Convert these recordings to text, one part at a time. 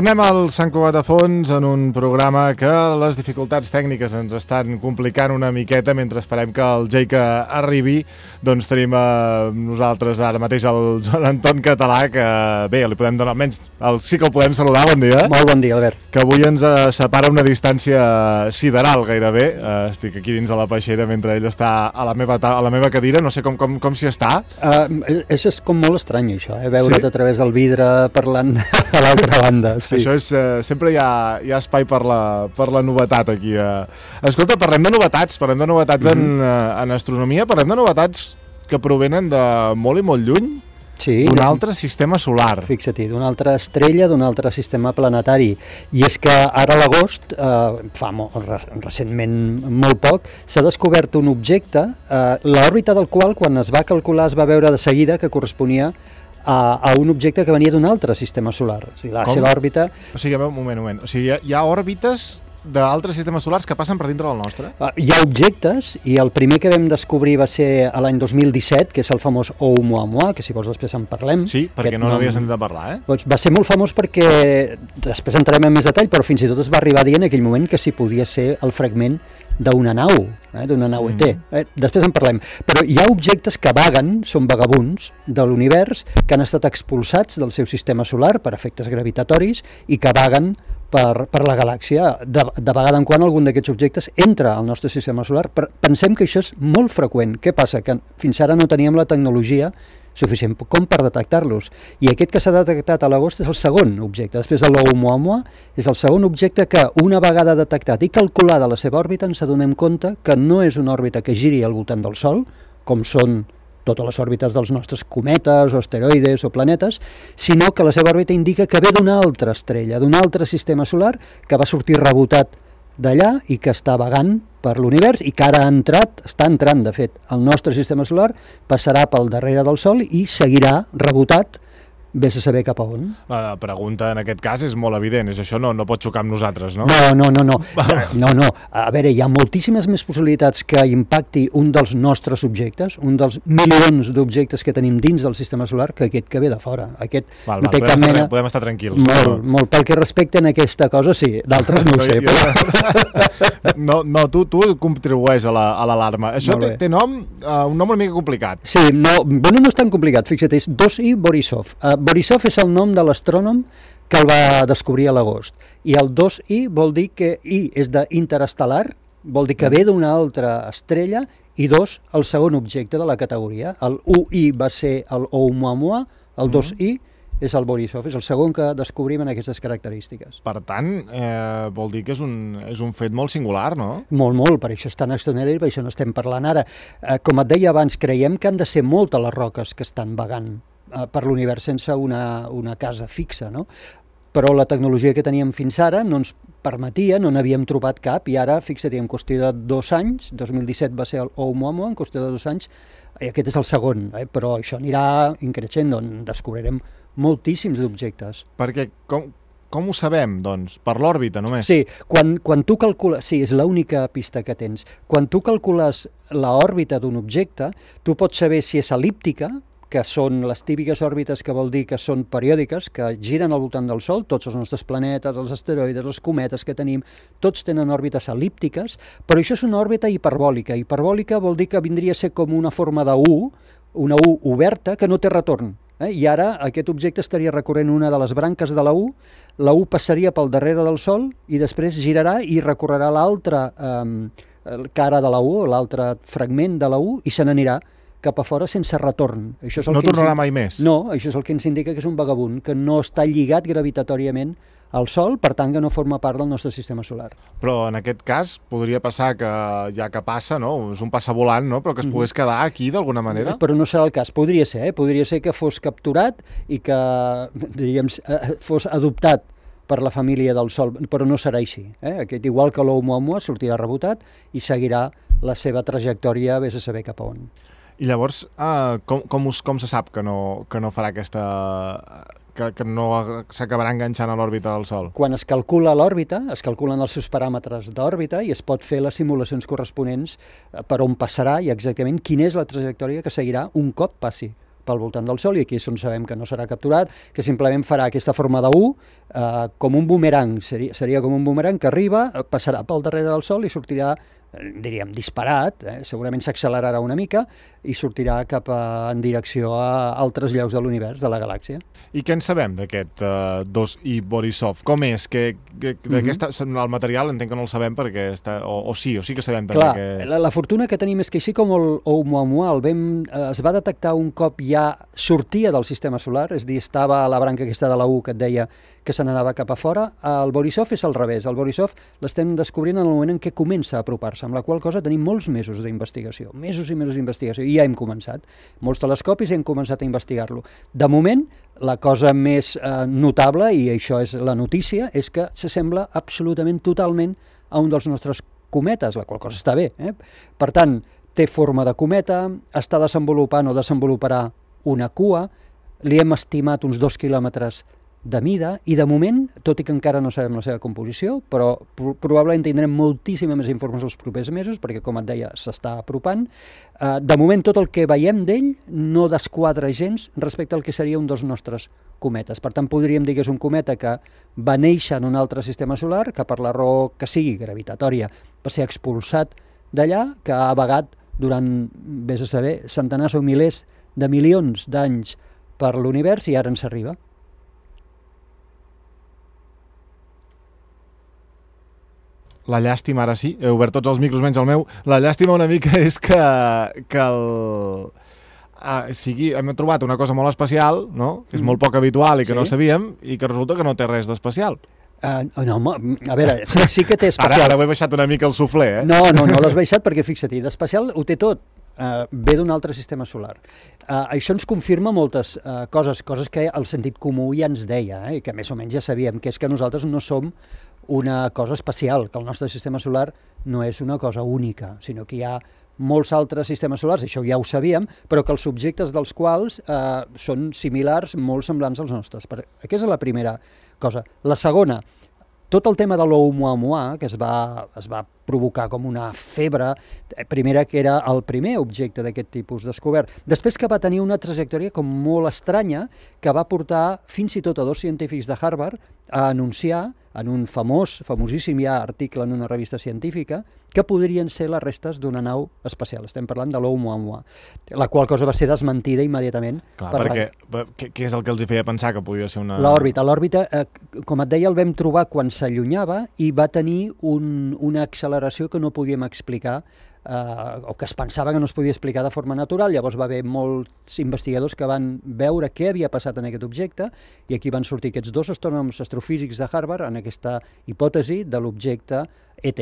Tornem al Sant Cugat de Fons en un programa que les dificultats tècniques ens estan complicant una miqueta mentre esperem que el Jake arribi. Doncs tenim nosaltres ara mateix el Joan Anton Català, que bé, li podem donar, almenys sí que el podem saludar, bon dia. Molt bon dia, Albert. Que avui ens separa una distància sideral gairebé. Estic aquí dins de la peixera mentre ell està a la meva cadira, no sé com s'hi està. És com molt estrany això, veure't a través del vidre parlant a l'altra banda. Sí. Això és, sempre hi ha espai per la novetat aquí. Escolta, parlem de novetats en astronomia, parlem de novetats que provenen de molt i molt lluny, d'un altre sistema solar. Fixa't, d'una altra estrella, d'un altre sistema planetari. I és que ara a l'agost, recentment molt poc, s'ha descobert un objecte, l'òrbita del qual, quan es va calcular, es va veure de seguida que corresponia a un objecte que venia d'un altre sistema solar. O sigui, la seva òrbita... O sigui, un moment. O sigui, hi ha òrbites d'altres sistemes solars que passen per dintre del nostre? Hi ha objectes, i el primer que vam descobrir va ser l'any 2017, que és el famós Oumuamua, que si vols després en parlem. Sí, perquè no n'havia sentit a parlar, Doncs va ser molt famós perquè, després entrarem en més detall, però fins i tot es va arribar a dir en aquell moment que si podia ser el fragment d'una nau ET. Després en parlem. Però hi ha objectes que vaguen, són vagabunds de l'univers, que han estat expulsats del seu sistema solar per efectes gravitatoris i que vaguen per la galàxia. De vegada en quan algun d'aquests objectes entra al nostre sistema solar. Pensem que això és molt freqüent. Què passa? Que fins ara no teníem la tecnologia suficient com per detectar-los. I aquest que s'ha detectat a l'agost és el segon objecte. Després de l'Oumuamua, és el segon objecte que, una vegada detectat i calculada la seva òrbita, ens adonem compte que no és una òrbita que giri al voltant del Sol, com són totes les òrbites dels nostres cometes o asteroides o planetes, sinó que la seva òrbita indica que ve d'una altra estrella, d'un altre sistema solar que va sortir rebotat d'allà i que està vagant per l'univers i que ara està entrant, de fet, el nostre sistema solar, passarà pel darrere del Sol i seguirà rebotat, vés a saber cap a on. La pregunta en aquest cas és molt evident, és això no pot xocar amb nosaltres, no? No. A veure, hi ha moltíssimes més possibilitats que impacti un dels nostres objectes, un dels milions d'objectes que tenim dins del sistema solar, que aquest que ve de fora. Aquest no té cap mena... Podem estar tranquils. Molt. Pel que respecta a aquesta cosa, sí. D'altres no ho sé. No, tu contribueix a l'alarma. Això té nom, un nom una mica complicat. Sí, no és tan complicat. Fixa't, és 2I Borisov. Borisov és el nom de l'astrònom que el va descobrir a l'agost. I el 2I vol dir que I és d'interestel·lar, vol dir que ve d'una altra estrella, i 2, el segon objecte de la categoria. El 1I va ser el Oumuamua, el 2I és el Borisov, és el segon que descobrim en aquestes característiques. Per tant, vol dir que és un fet molt singular, no? Molt, per això és tan extraordinari, per això no estem parlant ara. Com et deia abans, creiem que han de ser moltes les roques que estan vagant per l'univers sense una casa fixa, no? Però la tecnologia que teníem fins ara no ens permetia, no n'havíem trobat cap, i ara, fixa't, en qüestió de 2 anys, 2017 va ser el Oumuamua, en qüestió de 2 anys, aquest és el segon, però això anirà increixent, on descobrirem moltíssims objectes. Perquè com ho sabem, doncs? Per l'òrbita, només? Sí, quan tu calcules... Sí, és l'única pista que tens. Quan tu calcules l'òrbita d'un objecte, tu pots saber si és el·líptica, que són les típiques òrbites, que vol dir que són periòdiques, que giren al voltant del Sol, tots els nostres planetes, els asteroides, els cometes que tenim, tots tenen òrbites el·líptiques, però això és una òrbita hiperbòlica. Hiperbòlica vol dir que vindria a ser com una forma de U, una U oberta que no té retorn. I ara aquest objecte estaria recorrent una de les branques de la U passaria pel darrere del Sol i després girarà i recorrerà l'altra cara de la U, l'altre fragment de la U, i se n'anirà cap a fora sense retorn. No tornarà mai més? No, això és el que ens indica que és un vagabund, que no està lligat gravitatoriament al Sol, per tant que no forma part del nostre sistema solar. Però en aquest cas podria passar que, ja que passa, no? És un passavolant, no? Però que es pogués quedar aquí d'alguna manera? Però no serà el cas, podria ser que fos capturat i que, diríem, fos adoptat per la família del Sol, però no serà així. Aquest, igual que l'Oumuamua, sortirà rebotat i seguirà la seva trajectòria, vés a saber cap a on. I llavors, com se sap que no farà aquesta... que no s'acabarà enganxant a l'òrbita del Sol? Quan es calcula l'òrbita, es calculen els seus paràmetres d'òrbita i es pot fer les simulacions corresponents per on passarà i exactament quina és la trajectòria que seguirà un cop passi pel voltant del Sol, i aquí és on sabem que no serà capturat, que simplement farà aquesta forma de U, com un bumerang, seria com un bumerang que arriba, passarà pel darrere del Sol i sortirà, diríem, disparat, segurament s'accelerarà una mica i sortirà en direcció a altres llocs de l'univers, de la galàxia. I què en sabem d'aquest 2i Borisov? Com és? El material entenc que no el sabem perquè o sí que sabem també. Clar, la fortuna que tenim és que així com el Oumuamua es va detectar un cop ja sortia del sistema solar, és a dir, estava a la branca aquesta de la U que et deia que se n'anava cap a fora, el Borisov és al revés. El Borisov l'estem descobrint en el moment en què comença a apropar-se, amb la qual cosa tenim molts mesos d'investigació, mesos i mesos d'investigació, i ja hem començat. Molts telescopis hem començat a investigar-lo. De moment, la cosa més notable, i això és la notícia, és que s'assembla absolutament totalment a un dels nostres cometes, la qual cosa està bé. Per tant, té forma de cometa, està desenvolupant o desenvoluparà una cua, li hem estimat uns 2 quilòmetres de mida, i de moment, tot i que encara no sabem la seva composició, però probablement tindrem moltíssima més informació els propers mesos, perquè, com et deia, s'està apropant. De moment, tot el que veiem d'ell no desquadra gens respecte al que seria un dels nostres cometes. Per tant, podríem dir que és un cometa que va néixer en un altre sistema solar, que per la raó que sigui gravitatòria va ser expulsat d'allà, que ha vagat durant, vés a saber, centenars o milers de milions d'anys per l'univers i ara ens arriba. La llàstima, ara sí, he obert tots els micros menys el meu, la llàstima una mica és que hem trobat una cosa molt especial, no? Que és molt poc habitual i que no sabíem, i que resulta que no té res d'especial. No, a veure, sí que té especial. Ara ho he baixat una mica el suflé, No l'has baixat perquè, fixa't, d'especial ho té tot. Ve d'un altre sistema solar. Això ens confirma moltes coses que el sentit comú ja ens deia, i que més o menys ja sabíem, que és que nosaltres no som una cosa especial, que el nostre sistema solar no és una cosa única, sinó que hi ha molts altres sistemes solars, això ja ho sabíem, però que els objectes dels quals són similars, molt semblants als nostres. Aquesta és la primera cosa. La segona, tot el tema de l'Oumuamua, que es va provocar com una febre, primera que era el primer objecte d'aquest tipus descobert, després que va tenir una trajectòria com molt estranya, que va portar fins i tot a 2 científics de Harvard a anunciar en un famosíssim ja article en una revista científica, que podrien ser les restes d'una nau espacial. Estem parlant de l'Oumuamua, la qual cosa va ser desmentida immediatament. Clar, perquè què és el que els hi feia pensar que podia ser una... L'òrbita, com et deia, el vam trobar quan s'allunyava i va tenir una acceleració que no podíem explicar, o que es pensava que no es podia explicar de forma natural. Llavors va haver molts investigadors que van veure què havia passat en aquest objecte, i aquí van sortir aquests 2 astrònoms astrofísics de Harvard en aquesta hipòtesi de l'objecte ET,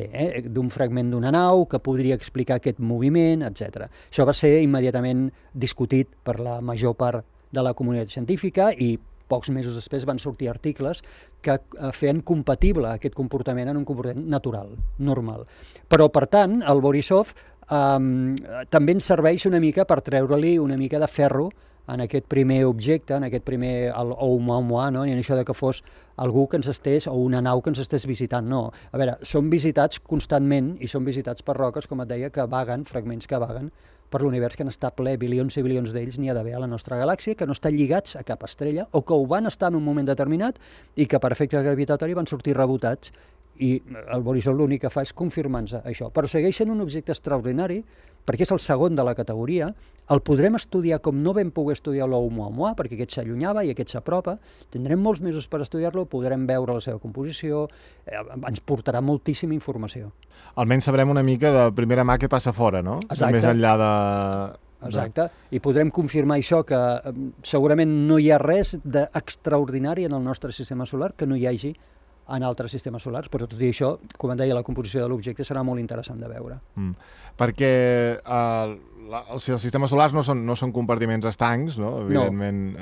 d'un fragment d'una nau que podria explicar aquest moviment, etc. Això va ser immediatament discutit per la major part de la comunitat científica, i pocs mesos després van sortir articles que feien compatible aquest comportament en un comportament natural, normal. Però, per tant, el Borisov també ens serveix una mica per treure-li una mica de ferro en aquest primer objecte, en aquest primer Oumuamua, no? I en això de que fos algú que ens estés, o una nau que ens estés visitant, no. A veure, són visitats constantment, i són visitats per roques, com et deia, que vaguen, fragments que vaguen per l'univers, que n'està ple, bilions i bilions d'ells n'hi ha d'haver a la nostra galàxia, que no estan lligats a cap estrella, o que ho van estar en un moment determinat i que per efecte gravitatori van sortir rebotats, i el Borisov l'únic que fa és confirmar-nos això. Però segueix sent un objecte extraordinari, perquè és el segon de la categoria. El podrem estudiar com no vam poder estudiar l'Oumuamua, perquè aquest s'allunyava i aquest s'apropa. Tindrem molts mesos per estudiar-lo, podrem veure la seva composició, ens portarà moltíssima informació. Almenys sabrem una mica de primera mà què passa fora, no? Exacte. Més enllà de... Exacte, i podrem confirmar això, que segurament no hi ha res d'extraordinari en el nostre sistema solar que no hi hagi en altres sistemes solars, però tot i això, com em deia, la composició de l'objecte serà molt interessant de veure. Perquè els sistemes solars no són compartiments estancs, no? Evidentment,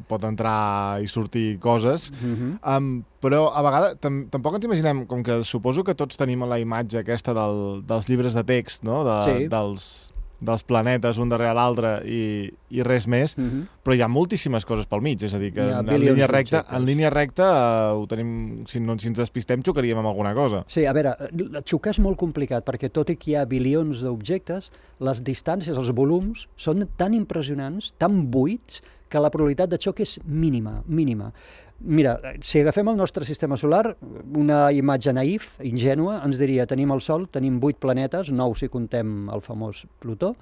pot entrar i sortir coses, però a vegades tampoc ens imaginem, com que suposo que tots tenim la imatge aquesta dels llibres de text, no? dels planetes un darrere l'altre i res més, però hi ha moltíssimes coses pel mig, és a dir, que en línia recta ho tenim, si ens despistem xocaríem amb alguna cosa. Sí, a veure, xocar és molt complicat, perquè tot i que hi ha bilions d'objectes, les distàncies, els volums, són tan impressionants, tan buits, que la probabilitat de xoc és mínima. Mira, si agafem el nostre sistema solar, una imatge naïf, ingènua, ens diria, tenim el Sol, tenim 8 planetes, 9 si contem el famós Plutó,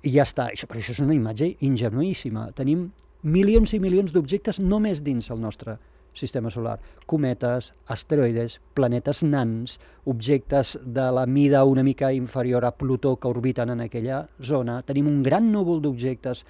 i ja està. Però això és una imatge ingenuíssima. Tenim milions i milions d'objectes només dins el nostre sistema solar. Cometes, asteroides, planetes nans, objectes de la mida una mica inferior a Plutó que orbiten en aquella zona. Tenim un gran núvol d'objectes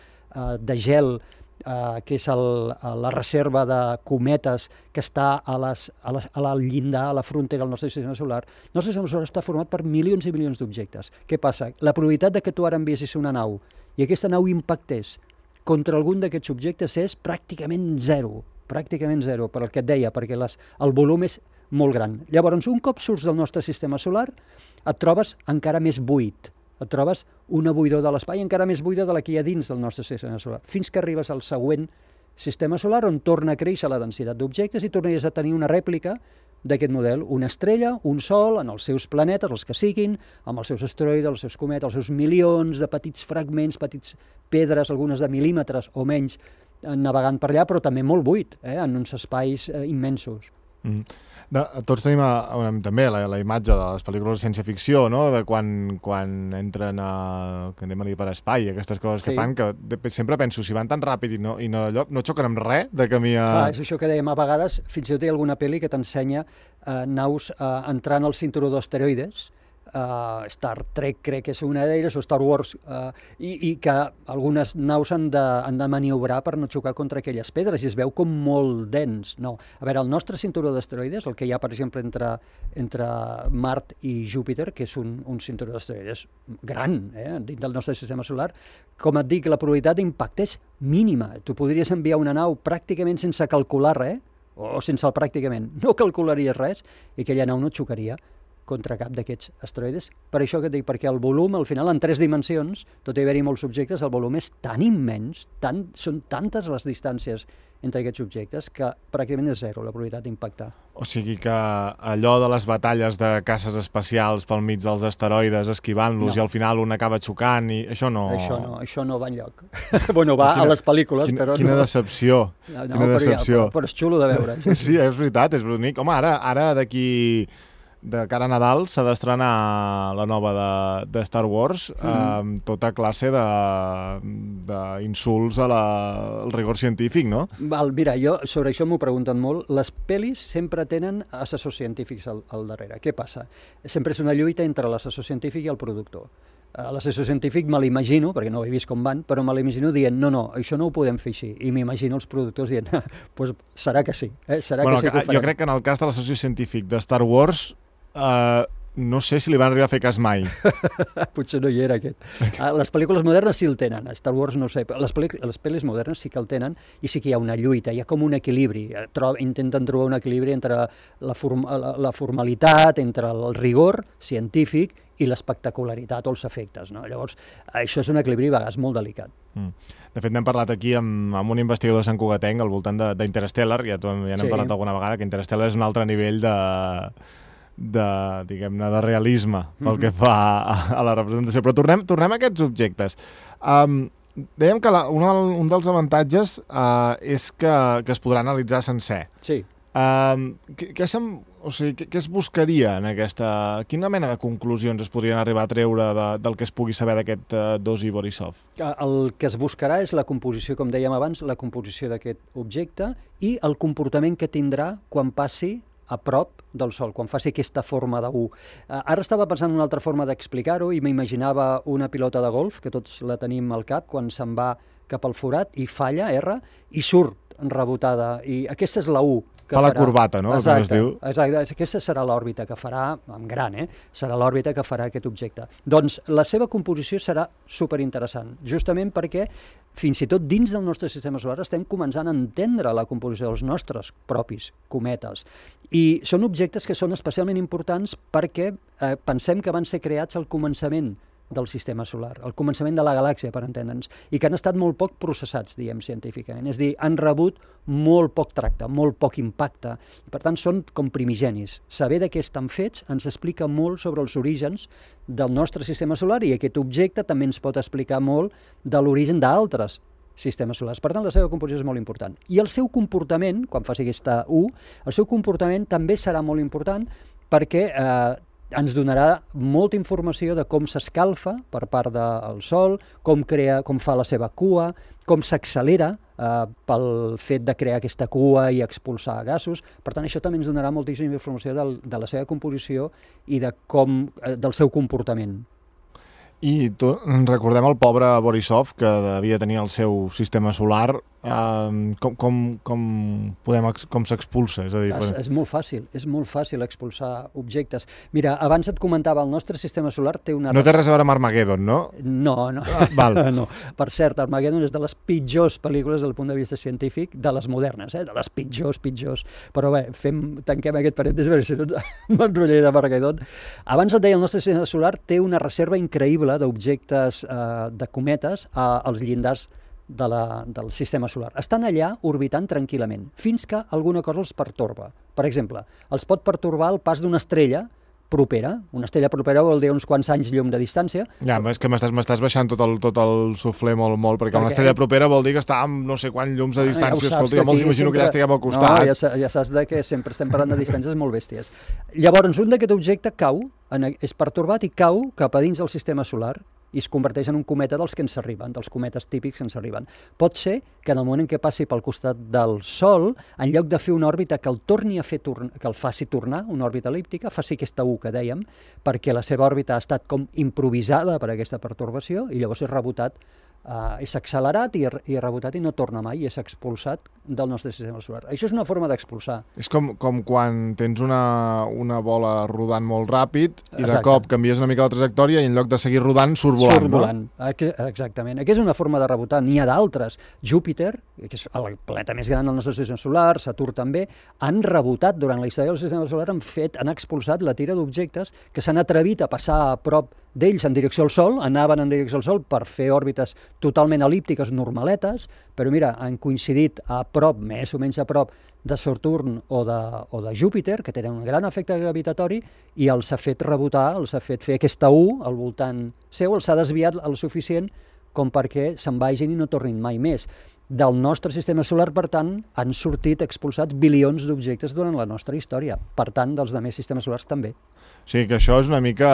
de gel, que és la reserva de cometes que està al llindar, a la frontera del nostre sistema solar. El nostre sistema solar està format per milions i milions d'objectes. Què passa? La probabilitat de que tu ara enviessis una nau i aquesta nau impactés contra algun d'aquests objectes és pràcticament zero, per el que et deia, perquè el volum és molt gran. Llavors, un cop surts del nostre sistema solar, et trobes encara més buit. Et trobes una buidor de l'espai encara més buida de la que hi ha dins del nostre sistema solar, fins que arribes al següent sistema solar on torna a créixer la densitat d'objectes i tornaries a tenir una rèplica d'aquest model, una estrella, un sol, en els seus planetes, els que siguin, amb els seus asteroides, els seus cometes, els seus milions de petits fragments, petits pedres, algunes de mil·límetres o menys, navegant per allà, però també molt buit, en uns espais immensos. Tots tenim també la imatge de les pel·lícules de ciència-ficció, no? De quan entren que anem a dir per espai, aquestes coses que fan, que sempre penso, si van tan ràpid i no xoquen amb res de camí a... Clar, és això que dèiem, a vegades fins i tot hi ha alguna pel·li que t'ensenya naus entrant al cinturó d'asteroides, Star Trek crec que és una d'elles, o Star Wars, i que algunes naus han de maniobrar per no xocar contra aquelles pedres, i es veu com molt dens. No. A veure, el nostre cinturó d'asteroides, el que hi ha, per exemple, entre Mart i Júpiter, que és un cinturó d'asteroides gran, dins del nostre sistema solar, com et dic, la probabilitat d'impacte és mínima. Tu podries enviar una nau pràcticament sense calcular res, o sense el pràcticament, no calcularies res, i aquella nau no et xocaria contra cap d'aquests asteroides. Per això que et dic, perquè el volum, al final, en 3 dimensions, tot i haver-hi molts objectes, el volum és tan immens, són tantes les distàncies entre aquests objectes, que pràcticament és zero la probabilitat d'impactar. O sigui que allò de les batalles de caces espacials pel mig dels asteroides, esquivant-los, i al final un acaba xocant, i això no... Això no va enlloc. Bueno, va a les pel·lícules, però no... Quina decepció. Però és xulo de veure. Sí, és veritat, és bonic. Home, ara d'aquí... de cara a Nadal s'ha d'estrenar la nova de Star Wars, amb tota classe d'insults al rigor científic, no? Mira, jo sobre això m'ho pregunten molt. Les pel·lis sempre tenen assessors científics al darrere. Què passa? Sempre és una lluita entre l'assessor científic i el productor. L'assessor científic me l'imagino, perquè no ho he vist com van, però me l'imagino dient, no, això no ho podem fer així. I m'imagino els productors dient, pues serà que sí. Serà que sí que ho farem. Jo crec que en el cas de l'assessor científic de Star Wars, no sé si li van arribar a fer cas mai. Potser no hi era aquest. Les pel·lícules modernes sí el tenen, a Star Wars no sé, però les pel·lis modernes sí que el tenen i sí que hi ha una lluita, hi ha com un equilibri. Intenten trobar un equilibri entre la formalitat, entre el rigor científic i l'espectacularitat o els efectes, no? Llavors, això és un equilibri a vegades molt delicat. De fet, n'hem parlat aquí amb un investigador de Sant Cugatenc al voltant d'Interstellar, ja n'hem parlat alguna vegada, que Interstellar és un altre nivell diguem-ne, de realisme pel que fa a la representació. Però tornem a aquests objectes. Dèiem que un dels avantatges és que es podrà analitzar sencer. Sí. Què es buscaria en aquesta... Quina mena de conclusions es podrien arribar a treure del que es pugui saber d'aquest Dosi Borisov? El que es buscarà és la composició, com dèiem abans, la composició d'aquest objecte i el comportament que tindrà quan passi a prop del Sol, quan faci aquesta forma de U. Ara estava pensant en una altra forma d'explicar-ho i m'imaginava una pilota de golf, que tots la tenim al cap, quan se'n va cap al forat i falla, erra, i surt rebotada. I aquesta és la U. Fa la corbata, no? Exacte, aquesta serà l'òrbita que farà, en gran, serà l'òrbita que farà aquest objecte. Doncs la seva composició serà superinteressant, justament perquè fins i tot dins del nostre sistema solar estem començant a entendre la composició dels nostres propis cometes. I són objectes que són especialment importants perquè pensem que van ser creats al començament del sistema solar, al començament de la galàxia, per entendre'ns, i que han estat molt poc processats, diguem, científicament. És a dir, han rebut molt poc tracte, molt poc impacte, i per tant són com primigenis. Saber de què estan fets ens explica molt sobre els orígens del nostre sistema solar, i aquest objecte també ens pot explicar molt de l'origen d'altres sistemes solars. Per tant, la seva composició és molt important. I el seu comportament, quan faci aquesta U, el seu comportament també serà molt important perquè ens donarà molta informació de com s'escalfa per part del Sol, com fa la seva cua, com s'accelera pel fet de crear aquesta cua i expulsar gasos. Per tant, això també ens donarà moltíssima informació de la seva composició i del seu comportament. I recordem el pobre Borisov, que devia tenir el seu sistema solar. Com s'expulsa? És molt fàcil expulsar objectes. Mira, abans et comentava, el nostre sistema solar té una... No té res a veure amb Armageddon, no? No. Val. No. Per cert, Armageddon és de les pitjors pel·lícules del punt de vista científic, de les modernes, de les pitjors. Però bé, tanquem aquest parèntesi, perquè si no m'enrotllaré d'Armageddon. Abans et deia, el nostre sistema solar té una reserva increïble d'objectes de cometes als llindars del sistema solar. Estan allà orbitant tranquil·lament, fins que alguna cosa els pertorba. Per exemple, els pot pertorbar el pas d'una estrella propera. Una estrella propera vol dir uns quants anys llum de distància. Ja, és que m'estàs baixant tot el suflé molt, perquè una estrella propera vol dir que està amb no sé quants llums de distància. Escolta, jo me'ls imagino que ja estiguem al costat. No, ja saps que sempre estem parlant de distàncies molt bèsties. Llavors, un d'aquest objecte cau, és pertorbat i cau cap a dins del sistema solar i es converteix en un cometa dels que ens arriben, dels cometes típics que ens arriben. Pot ser que en el moment en què passi pel costat del Sol, en lloc de fer una òrbita que el faci tornar, una òrbita elíptica, faci aquesta U que dèiem, perquè la seva òrbita ha estat com improvisada per aquesta pertorbació i llavors és rebotat, és accelerat i rebotat i no torna mai, i és expulsat del nostre sistema solar. Això és una forma d'expulsar. És com quan tens una bola rodant molt ràpid i de cop canvies una mica la trajectòria i en lloc de seguir rodant surt volant. Exactament. Aquesta és una forma de rebotar. N'hi ha d'altres. Júpiter, que és el planeta més gran del nostre sistema solar, Saturn també, han rebotat durant la història del sistema solar, han expulsat la tira d'objectes que s'han atrevit a passar a prop d'ells en direcció al Sol, anaven en direcció al Sol per fer òrbites totalment elíptiques, normaletes, però mira, han coincidit a prop, més o menys a prop, de Saturn o de Júpiter, que tenen un gran efecte gravitatori, i els ha fet rebotar, els ha fet fer aquesta U al voltant seu, els ha desviat el suficient com perquè se'n vagin i no tornin mai més. Del nostre sistema solar, per tant, han sortit expulsats bilions d'objectes durant la nostra història. Per tant, dels altres sistemes solars també. O sigui que això és una mica...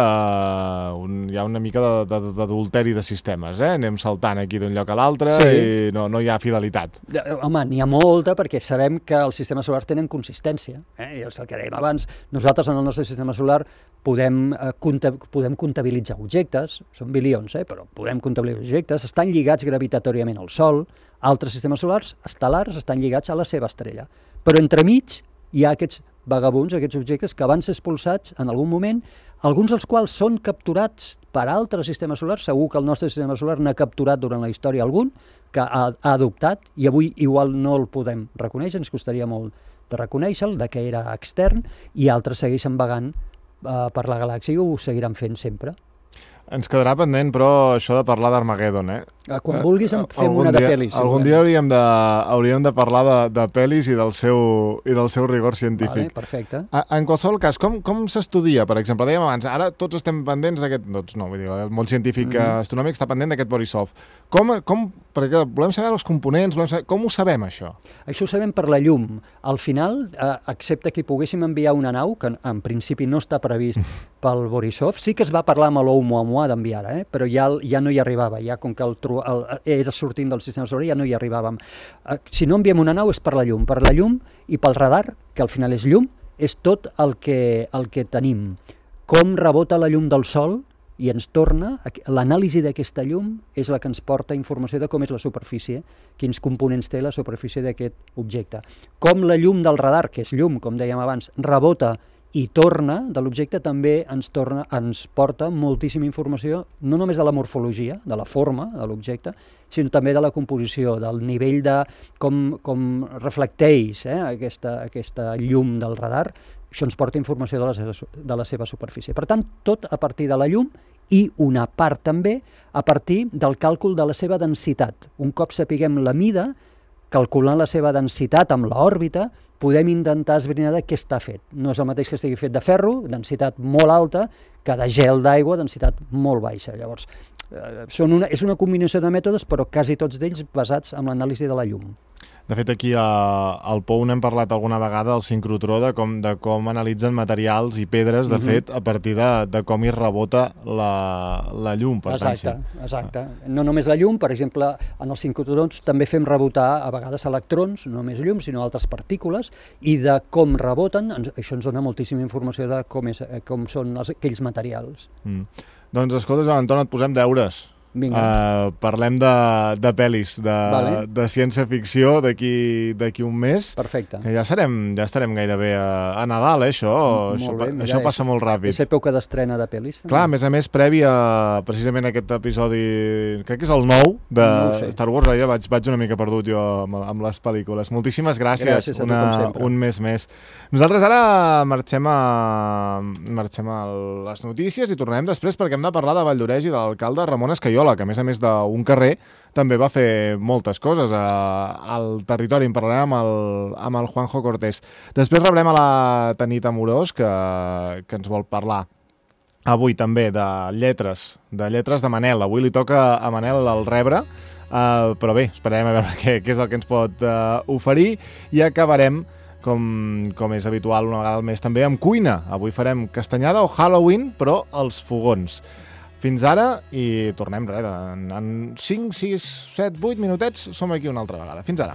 hi ha una mica d'adulteri de sistemes, Anem saltant aquí d'un lloc a l'altre i no hi ha fidelitat. Home, n'hi ha molta, perquè sabem que els sistemes solars tenen consistència. I és el que dèiem abans. Nosaltres, en el nostre sistema solar, podem comptabilitzar objectes, són bilions, però podem comptabilitzar objectes, estan lligats gravitatoriament al Sol, altres sistemes solars estel·lars estan lligats a la seva estrella. Però entremig hi ha aquests vagabunds, aquests objectes que van ser expulsats en algun moment, alguns dels quals són capturats per altres sistemes solars. Segur que el nostre sistema solar n'ha capturat durant la història algun, que ha adoptat, i avui igual no el podem reconèixer, ens costaria molt de reconèixer-lo, que era extern, i altres segueixen vagant per la galàxia i ho seguiran fent sempre. Ens quedarà pendent, però, això de parlar d'Armageddon, Quan vulguis fem una de pel·lis. Algun dia hauríem de parlar de pel·lis i del seu rigor científic. Vale, perfecte. En qualsevol cas, com s'estudia, per exemple? Dèiem abans, ara tots estem pendents d'aquest... Tots no, vull dir, el món científic astronòmic està pendent d'aquest Borisov. Perquè volem saber els components, com ho sabem, això? Això ho sabem per la llum. Al final, excepte que poguéssim enviar una nau, que en principi no està previst pel Borisov, sí que es va parlar amb l'Oumuamua d'enviar-la, però ja no hi arribava, ja com que era sortint del sistema solar, ja no hi arribàvem. Si no enviem una nau és per la llum i pel radar, que al final és llum, és tot el que tenim. Com rebota la llum del Sol i ens torna, l'anàlisi d'aquesta llum és la que ens porta informació de com és la superfície, quins components té la superfície d'aquest objecte. Com la llum del radar, que és llum, com dèiem abans, rebota i torna de l'objecte, també ens porta moltíssima informació, no només de la morfologia, de la forma de l'objecte, sinó també de la composició, del nivell de com reflecteix aquesta llum del radar, això ens porta informació de la seva superfície. Per tant, tot a partir de la llum i una part també a partir del càlcul de la seva densitat. Un cop sapiguem la mida, calculant la seva densitat amb l'òrbita, podem intentar esbrinar de què està fet. No és el mateix que estigui fet de ferro, densitat molt alta, que de gel d'aigua, densitat molt baixa. Llavors, és una combinació de mètodes, però quasi tots d'ells basats en l'anàlisi de la llum. De fet, aquí al POU n'hem parlat alguna vegada, al sincrotró, de com analitzen materials i pedres, de fet, a partir de com hi rebota la llum. Per Exacte. No només la llum, per exemple, en els sincrotrons també fem rebotar a vegades electrons, no només llum, sinó altres partícules, i de com reboten, això ens dona moltíssima informació de com són aquells materials. Doncs, escolta, Joan Anton, et posem deures. Parlem de pel·lis, de ciència-ficció d'aquí un mes. Perfecte. Que ja estarem gairebé a Nadal, això. Això passa molt ràpid. És època d'estrena de pel·lis. Clar, a més, previ a precisament aquest episodi, crec que és el 9 de Star Wars, ja vaig una mica perdut jo amb les pel·lícules. Moltíssimes gràcies un mes més. Nosaltres ara marxem a les notícies i tornarem després perquè hem de parlar de Valldoreix i de l'alcalde Ramon Escaiola, que a més d'un carrer també va fer moltes coses al territori. En parlarem amb el Juanjo Cortés. Després rebrem a la Tanit Amorós, que ens vol parlar avui també de lletres de Manel. Avui li toca a Manel el rebre, però bé, esperarem a veure què és el que ens pot oferir, i acabarem, com és habitual una vegada al mes, també amb cuina. Avui farem castanyada o Halloween, però als fogons. Fins ara, i tornem en 5, 6, 7, 8 minutets, som aquí una altra vegada. Fins ara.